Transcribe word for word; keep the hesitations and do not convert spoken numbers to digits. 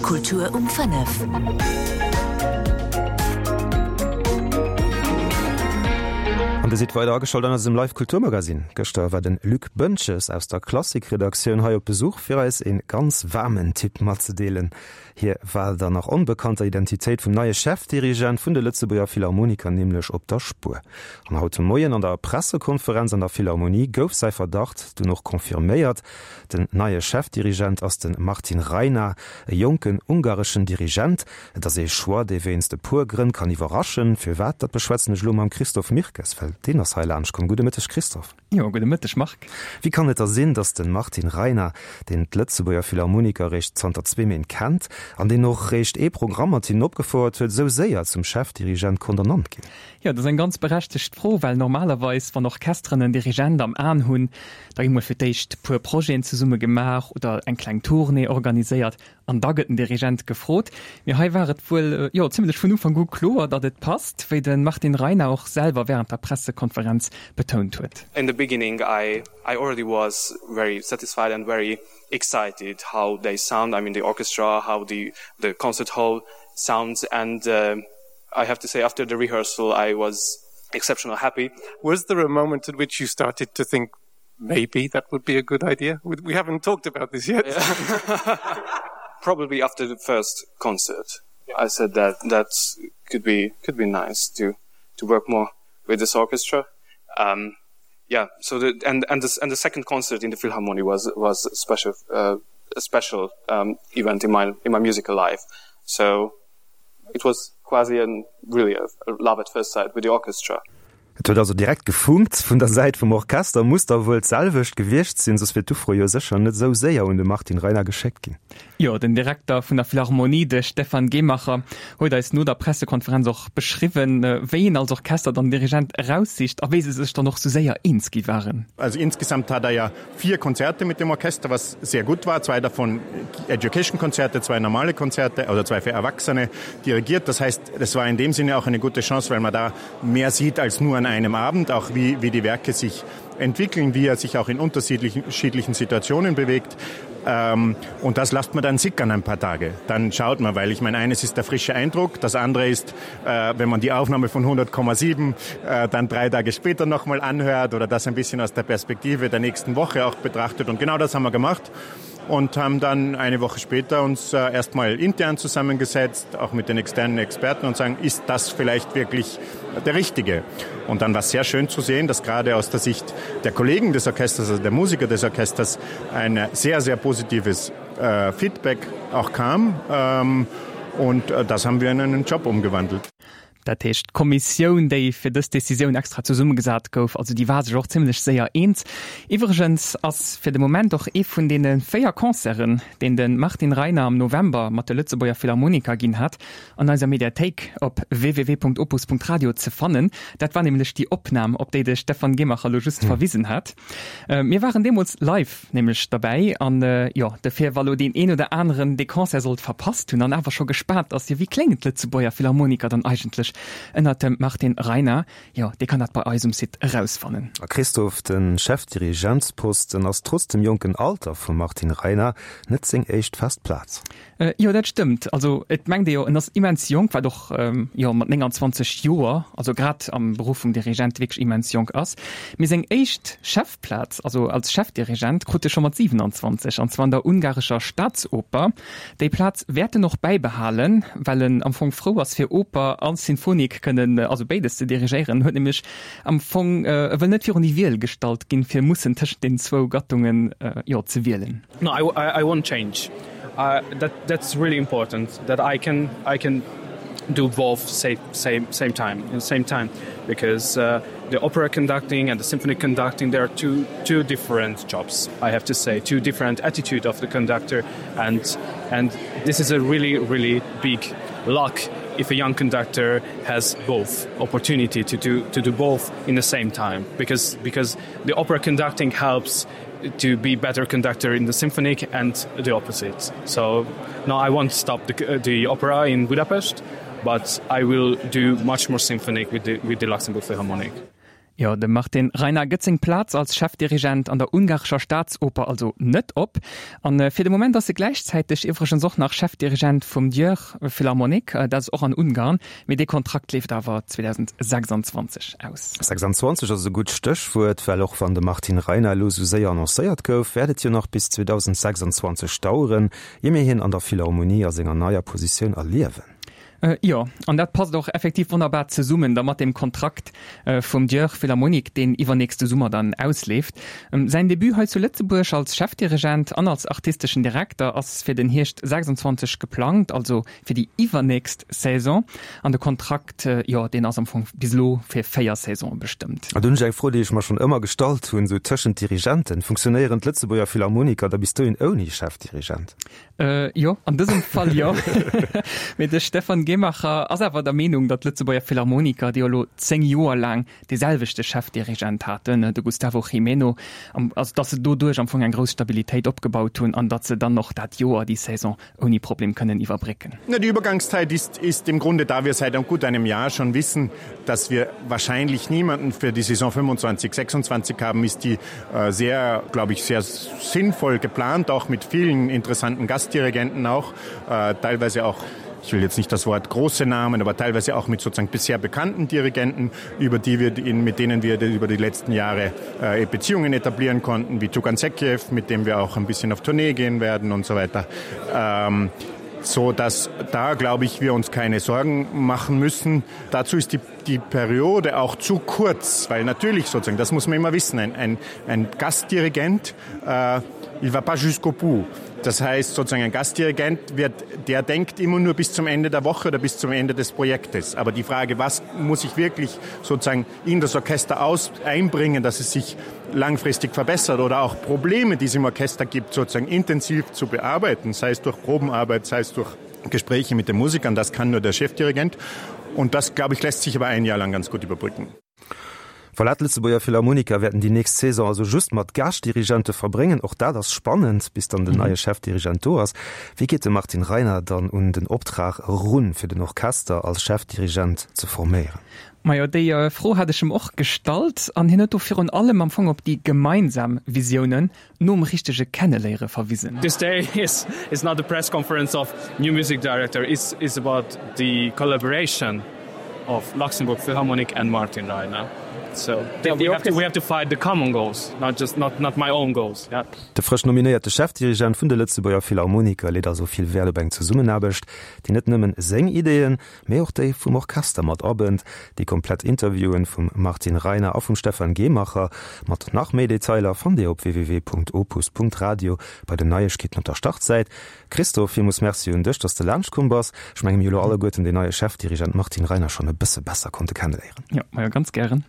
Kultur um fënnef. An Dir sidd weider ageschalt an eisem Live Kulturmagazin. Gëschter war den Luc Boentges aus der Klassik-Redaktioun hei op Besuch fir eis een ganz waarmen Tipp matzedeelen. Hie war der nach onbekannter Identitéit vum neie Chefdirigent vun de Lëtzebuerger Philharmoniker nämlech op der Spuer. An haut de Moien an der Pressekonferenz an der Philharmonie gouf säi Verdacht dunn och confirméiert, Den neie Chefdirigent ass de Martin Rajna, e jonken ungareschen Dirigent. Et ass ee Choix, dee wéinst e puer Grënn kann iwwerraschen. Firwat, dat beschwätzen ech elo mam Christophe Mirkes, well deen ass hei laanscht komm. Gudde Mëtteg Christophe. Jo, gudde Mëtteg Marc. Wéi kann et da sinn, datt de Martin Rajna, deen d'Lëtzebuerger Philharmoniker réischt zanter zwee Méint kennt an deen och réischt ee Programm mat hinnen opgefouert huet, esou séier zum Chefdirigent konnt ernannt ginn? Jo, dat ass eng ganz berechtegt Fro, well normalerweis, wann Orchesteren en Dirigent am Aen hunn, da gi mol fir d'éischt puer Projeten zesumme gemaach oder eng kleng Tournée organiséiert an da gëtt den Dirigent gefrot. Mee hei war et wuel, jo, zimlech vun Ufank u kloer, datt et passt, wéi de Martin Rajna och selwer wärend der Pressekonferenz betount huet. In the beginning I I already was very satisfied and very excited how they sound, I mean the orchestra, how the the concert hall sounds and I have to say after the rehearsal I was exceptional happy. Was there a moment at which you started to think maybe that would be a good idea? We haven't talked about this yet. Probably after the first concert I said that that could be could be nice to to work more with this orchestra. Um, yeah, so the, and and this and the second concert in the Philharmonie was was special uh, a special um, event in my in my musical life. So it was quasi an really a, a love at first sight with the orchestra. Et huet also direkt gefunkt. Vun der Säit vum Orchester muss da wuel d'selwecht gewiescht sinn, soss wier d'Ufro jo sécher net esou séier un de Martin Rajna geschéckt ginn. Jo, den Direkter vun der Philharmonie, de Stefan Gehmacher, huet eis no der Pressekonferenz och beschriwwen, wéi een als Orchester dann Dirigent eraussicht a wéi se sech dann och sou séier eens gi waren. Also insgesamt hat er ja vier Konzerte mit dem Orchester, was sehr gut war, zwei davon Education-Konzerte, zwei normale Konzerte oder zwei für Erwachsene dirigiert. Das heißt, es war in dem Sinne auch eine gute Chance, weil man da mehr sieht als nur an einem Abend, auch wie, wie die Werke sich entwickeln, wie er sich auch in unterschiedlichen Situationen bewegt. Ähm, und das lasst man dann sickern ein paar Tage. Dann schaut man, weil ich meine, eines ist der frische Eindruck, das andere ist, äh, wenn man die Aufnahme von hundert Komma sieben, äh, dann drei Tage später nochmal anhört oder das ein bisschen aus der Perspektive der nächsten Woche auch betrachtet. Und genau das haben wir gemacht und haben dann eine Woche später uns, äh, erstmal intern zusammengesetzt, auch mit den externen Experten und sagen, ist das vielleicht wirklich der Richtige? Und dann war es sehr schön zu sehen, dass gerade aus der Sicht der Kollegen des Orchesters, also der Musiker des Orchesters, ein sehr, sehr positives, äh, Feedback auch kam. Ähm, und, äh, das haben wir in einen Job umgewandelt. Dat heescht, d'Kommissioun, déi fir dës Decisioun extra zesummegesat gouf, also déi war sech och zimlech séier eens. Iwwregens ass fir de Moment och ee vun deene véier Concerten, deen de Martin Rajna am November mat de Lëtzebuerger Philharmoniker ginn hat, an eiser Mediathéik op www.opus.radio ze fannen. Dat war nämlech déi Opnam, op déi de Stefan Gehmacher elo just verwisen hat. Mir waren deemools live nämlech derbäi an jo, dofir, wa lo deen een oder aneren dee Concert sollt verpasst hunn an awer scho gespaant ass, jo wéi kléngen d'Lëtzebuerger Philharmoniker dann eigentlech ënnert dem Martin Rajna, jo dee kann dat bei eis um Site erausfannen. A Christophe, de Chefdirigentsposten ass trotz dem jonken Alter vum Martin Rajna net seng éischt fest Plaz. Jo, dat stëmmt. Also et mengt ee jo, en ass immens jonk, wat och jo mat nénganzwanzeg Joer, also grad am Beruff vum Dirigent wierklech immens jonk ass. Mee seng éischt Chefplaz, also als Chefdirigent, krut e scho mat siwenanzwanzeg, an zwar an der ungarescher Staatsoper. Déi Plaz wäert en och bäibehalen, well en am Fong frou ass fir Oper a Sinfonik kënnen, also béides ze dirigéieren. En huet nämlech am Fong, e wëll net virun déi Wiel gestallt ginn, fir mussen tëschent deenen zwou Gattungen, jo, ze wielen. No, I, I won't change. Uh, that, that's really important that I can, I can do both same, same, same time, in the same time, because, uh, the opera conducting and the symphony conducting, they are two, two different jobs, I have to say, two different attitude of the conductor, and, and this is a really, really big luck if a young conductor has both opportunity to do, to do both in the same time, because, because the opera conducting helps to be better conductor in the symphonic and the opposite. So no, I won't stop the, the opera in Budapest, but I will do much more symphonic with the, with the Luxembourg Philharmonic. Jo, de Martin Reiner gëtt seng Plaz als Chefdirigent an der ungarescher Staatsoper also net op. An fir de Moment ass e gläichzäiteg iwwregens och nach Chefdirigent vum Győr Philharmonic, dat ass och an Ungarn, mee dee Kontrakt leeft awer zweedausendsechsanzwanzeg aus. Sechsanzwanzeg ass e gutt Stéchwuert, well och wann de Martin Reiner elo sou séier annoncéiert gouf, wäert et jo nach bis zweedausendsechsanzwanzeg daueren, ier mir hien an der Philharmonie a senger neier Positioun erliewen. Jo, an dat passt och effektiv wonnerbar zesummen da mat deem Kontrakt vum Győr Philharmonic, deen iwwernächste Summer dann ausleeft. Säin Debut hei zu Lëtzebuerg als Chefdirigent an als artisteschen Direkter ass fir den Hierscht sechsundzwanzeg geplangt, also fir déi iwwernächst Saison. An de Kontrakt, jo, deen ass am Fong bis elo fir véier Saisone bestëmmt. An do hunn ech eng Fro, déi ech mer schonn ëmmer gestallt hunn, esou tëschent Dirigenten, Funktionéieren d'Lëtzebuerger Philharmoniker da bis dohin ouni Chefdirigent? Jo, an dësem Fall jo. Mee de Stefan Gehmacher ass awer der Meenung, datt d'Lëtzebuerger Philharmoniker, déi jo elo zéng Joer laang dee selwechte Chefdirigent haten, de Gustavo Gimeno, also datt se doduerch am Fong eng grouss Stabilitéit opgebaut hunn an datt se dann och dat Joer, déi Saison ouni Problem kënnen iwwerbrécken. Na, die Übergangszeit ist, ist im Grunde, da wir seit gut einem Jahr schon wissen, dass wir wahrscheinlich niemanden für die Saison fünfundzwanzig, sechsundzwanzig haben, ist die äh, sehr, glaube ich, sehr sinnvoll geplant, auch mit vielen interessanten Gastdirigenten auch, äh, teilweise auch, ich will jetzt nicht das Wort große Namen, aber teilweise auch mit sozusagen bisher bekannten Dirigenten, über die wir in, mit denen wir über die letzten Jahre äh, Beziehungen etablieren konnten, wie Tugan Sekiev, mit dem wir auch ein bisschen auf Tournee gehen werden und so weiter. Ähm, so dass da, glaube ich, wir uns keine Sorgen machen müssen. Dazu ist die, die Periode auch zu kurz, weil natürlich sozusagen, das muss man immer wissen, ein, ein, ein Gastdirigent, äh, il va pas jusqu'au bout. Das heißt sozusagen ein Gastdirigent wird, der denkt immer nur bis zum Ende der Woche oder bis zum Ende des Projektes. Aber die Frage, was muss ich wirklich sozusagen in das Orchester aus einbringen, dass es sich langfristig verbessert oder auch Probleme, die es im Orchester gibt, sozusagen intensiv zu bearbeiten, sei es durch Probenarbeit, sei es durch Gespräche mit den Musikern, das kann nur der Chefdirigent. Und das, glaube ich, lässt sich aber ein Jahr lang ganz gut überbrücken. Voilà, d'Lëtzebuerger Philharmoniker wäerten déi nächst Saison also just mat Gaaschtdirigente verbréngen. Och dat ass spannend, bis dann den neie Chefdirigent do ass. Wéi geet de Martin Reiner dann un den Optrag erun, fir den Orchester als Chefdirigent ze forméieren? Majo, déi Fro hat ech em och gestallt an hien huet do virun allem am Fong op déi gemeinsam Visiounen nom richtege Kenneléiere verwisen. This day is is not the press conference of new music director, it's is about the collaboration of Luxembourg Philharmonic and Martin Reiner. So we have to, we have to fight the common goals, not just not, not my own goals. Yeah. De frësch nominéierte Chefdirigent vun de Lëtzebuerger Philharmoniker leet also vill Wäert op eng Zesummenaarbecht, déi net nëmmen seng Ideeën, mee och déi vum Orchester mat abënnt. Déi komplett Interviewen vum Martin Reiner a vum Stefan Gehmacher mat nach méi Detailer fannt Dir op www.opus.radio bei den Neiegkeeten op der Startsäit. Christophe, villmools Merci un dech, dass de laanscht komm bass. Ech menge mir hu lo alleguerten den neie Chefdirigent Martin Reiner schonn e bësse besser konnte kenneléieren. Jo, majo, ganz gären.